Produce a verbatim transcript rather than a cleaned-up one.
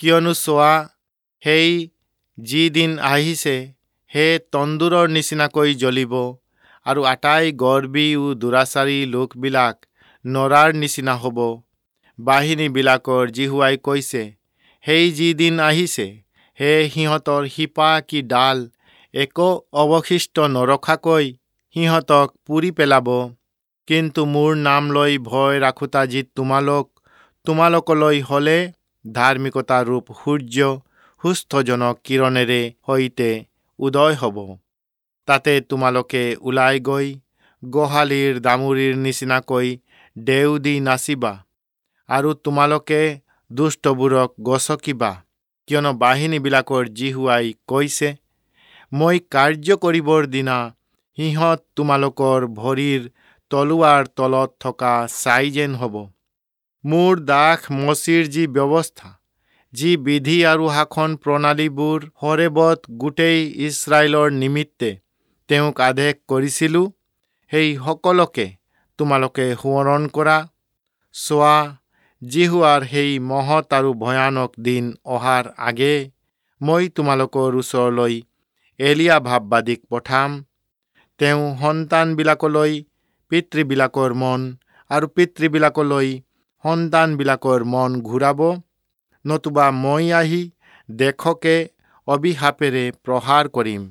কিয়নো চোৱা, সেই যি দিন আহিছে, সে তন্দুৰৰ নিচিনাকৈ জ্বলিব, আৰু আটাই গৰ্বী ও দুৰাচাৰী লোকবিলাক নৰাৰ নিচিনা হ'ব। বাহিনীবিলাকৰ যিহোৱাই কৈছে, সেই যি দিন আহিছে, সে সিহঁতৰ শিপা কি ডাল একো অৱশিষ্ট নৰখাকৈ সিহঁতক পুৰি পেলাব। কিন্তু মোৰ নাম লৈ ভয় ৰাখোঁতা যি তোমালোক, তোমালোকলৈ হ'লে ধাৰ্মিকতা ৰূপ সূৰ্য সুস্থজনক কিৰণেৰে সৈতে উদয় হ'ব। তাতে তোমালোকে ওলাই গৈ গোহালিৰ দামুৰিৰ নিচিনাকৈ ডেও দি নাচিবা, আৰু তোমালোকে দুষ্টবোৰক গচকিবা। কিয়নো বাহিনীবিলাকৰ যিহোৱাই কৈছে, মই কাৰ্য কৰিবৰ দিনা সিহঁত তোমালোকৰ ভৰিৰ তলুৱাৰ তলত থকা ছাই যেন হ'ব। মোৰ দাস মোচিৰ যি ব্যৱস্থা, যি বিধি আৰু শাসন প্ৰণালীবোৰ হৰেবত গোটেই ইস্ৰায়েলৰ নিমিত্তে তেওঁক আদেশ কৰিছিলোঁ, সেই সকলোকে তোমালোকে সোঁৱৰণ কৰা। চোৱা, যিহোৱাৰ সেই মহৎ আৰু ভয়ানক দিন অহাৰ আগে মই তোমালোকৰ ওচৰলৈ এলিয়া ভাববাদীক পঠাম। তেওঁ সন্তানবিলাকলৈ পিতৃবিলাকৰ মন আৰু পিতৃবিলাকলৈ সন্তানবিলাকৰ মন ঘূৰাব, নতুবা মই আহি দেশকে অভিশাপেৰে প্ৰহাৰ কৰিম।